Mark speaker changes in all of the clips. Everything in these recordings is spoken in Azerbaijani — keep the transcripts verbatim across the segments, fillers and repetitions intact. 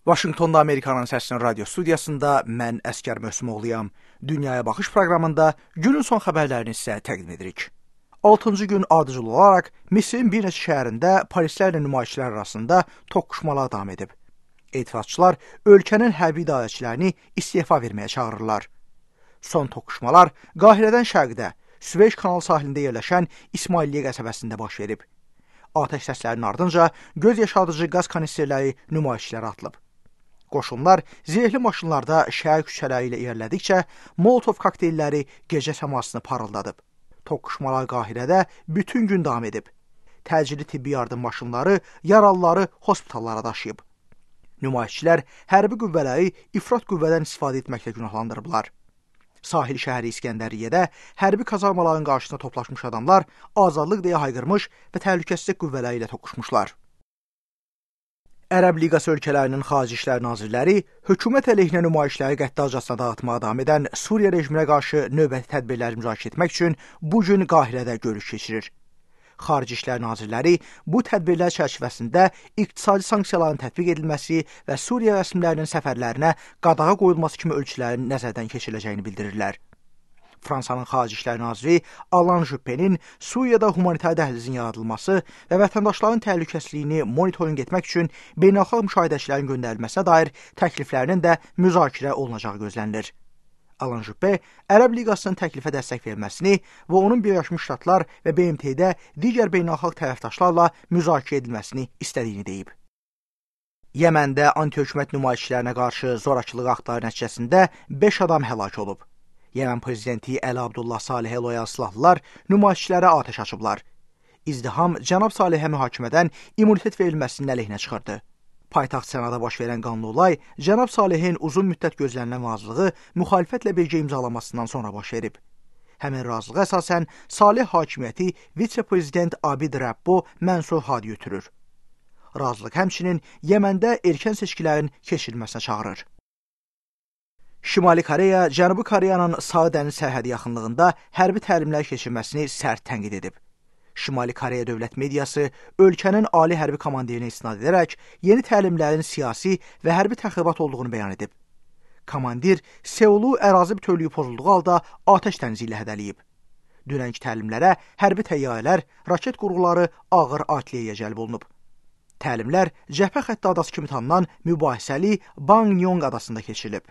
Speaker 1: Vaşinqtonda Amerikanın səsinin radio studiyasında mən Əskər Möhsümoğluyam. Dünyaya baxış proqramında günün son xəbərlərini sizə təqdim edirik. altıncı gün ardıcıl olaraq Misirin bir neçə şəhərində polislərlə nümayişçilər arasında toqquşmalar davam edib. Etirazçılar ölkənin hərbi idarəçilərini istefa verməyə çağırırlar. Son toqquşmalar Qahirədən şərqdə, Süveyş kanal sahilində yerləşən İsmailiyyə qəsəbəsində baş verib. Atəş səslərinin ardınca göz yaşadıcı qaz kanisterləri nümayişçilərə atılıb. Qoşunlar zirehli maşınlarda şəhər küçələri ilə irəlilədikcə Molotov kokteylləri gecə səmasını parıldadıb. Toqquşmalar Qahirədə bütün gün davam edib. Təcili tibbi yardım maşınları yaralıları hospitallara daşıyıb. Nümayişçilər hərbi qüvvələri ifrat qüvvədən istifadə etməklə günahlandırıblar. Sahil şəhəri İskəndəriyyədə hərbi kazarmaların qarşısında toplaşmış adamlar azadlıq deyə hayqırmış və təhlükəsizlik qüvvələri ilə toqquşmuşlar. Ərəb Liqası ölkələrinin xarici işlər nazirləri hökumət əleyhinə nümayişləri qəddarcasına dağıtmağa davam edən Suriya rejiminə qarşı növbəti tədbirləri müzakirə etmək üçün bu gün Qahirədə görüş keçirir. Xarici İşlər Nazirləri bu tədbirlər çərçivəsində iqtisadi sanksiyaların tətbiq edilməsi və Suriya rəsmilərinin səfərlərinə qadağa qoyulması kimi ölçülərin nəzərdən keçiriləcəyini bildirirlər. Fransanın Xarici İşlər Naziri Alain Juppé'nin Suriyada humanitar dəhlizin yaradılması və vətəndaşların təhlükəsizliyini monitorinq etmək üçün beynəlxalq müşahidəçilərin göndərilməsinə dair təkliflərinin də müzakirə olunacağı gözlənilir. Alain Juppé Ərəb Liqasının təklifə dəstək verməsini və onun Birləşmiş Ştatlar və B M T-də digər beynəlxalq tərəfdaşlarla müzakirə edilməsini istədiyini deyib. Yəməndə anti-hökumət nümayişçilərinə qarşı zorakılıq aktları nəticəsində beş adam həlak olub. Yəmən prezidenti Əli Abdullah Salehə loyal silahlılar nümayişçilərə atəş açıblar. İzdiham cənab Salehə mühakimədən immunitet verilməsinin əleyhinə çıxırdı. Paytaxt Sənada baş verən qanlı olay cənab Salehin uzun müddət gözlənilən razılığı müxalifətlə birgə imzalamasından sonra baş verib. Həmin razılığa əsasən Saleh hakimiyyəti vitse-prezident Abid Rabbo Mənsur Hadi götürür. Razılıq həmçinin Yəməndə erkən seçkilərin keçirilməsinə çağırır. Şimali Koreya, Cənubi Koreyanın Sağ dəniz sərhədi yaxınlığında hərbi təlimlər keçirməsini sərt tənqid edib. Şimali Koreya dövlət mediası ölkənin ali hərbi komandirinə istinad edərək yeni təlimlərin siyasi və hərbi təxribat olduğunu bəyan edib. Komandir Seulu ərazi bütövlüyü pozulduğu halda atəş dənizi ilə hədəliyib. Dünənki təlimlərə hərbi təyyarələr, raket qurğuları, ağır artilleriya cəlb olunub. Təlimlər cəbhə xətti adası kimi tanınan mübahisəli Bangyong adasında keçirilib.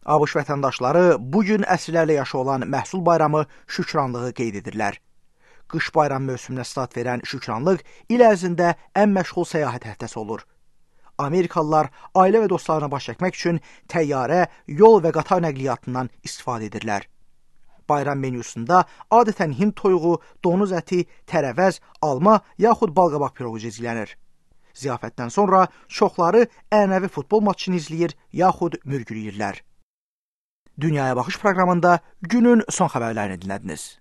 Speaker 1: ABŞ vətəndaşları bugün əsrlərlə yaşı olan məhsul bayramı şükranlığı qeyd edirlər. Qış bayram mövsümünə start verən şükranlıq il ərzində ən məşğul səyahət həftəsi olur. Amerikalılar ailə və dostlarına baş çəkmək üçün təyyarə, yol və qatar nəqliyyatından istifadə edirlər. Bayram menyusunda adətən hind toyuğu, donuz əti, tərəvəz, alma yaxud balqabaq piroğu cizgilənir. Ziyafətdən sonra çoxları ənənəvi futbol maçını izləyir yaxud mürgüləyirlər. Dünyaya baxış proqramında günün son xəbərlərini dinlədiniz.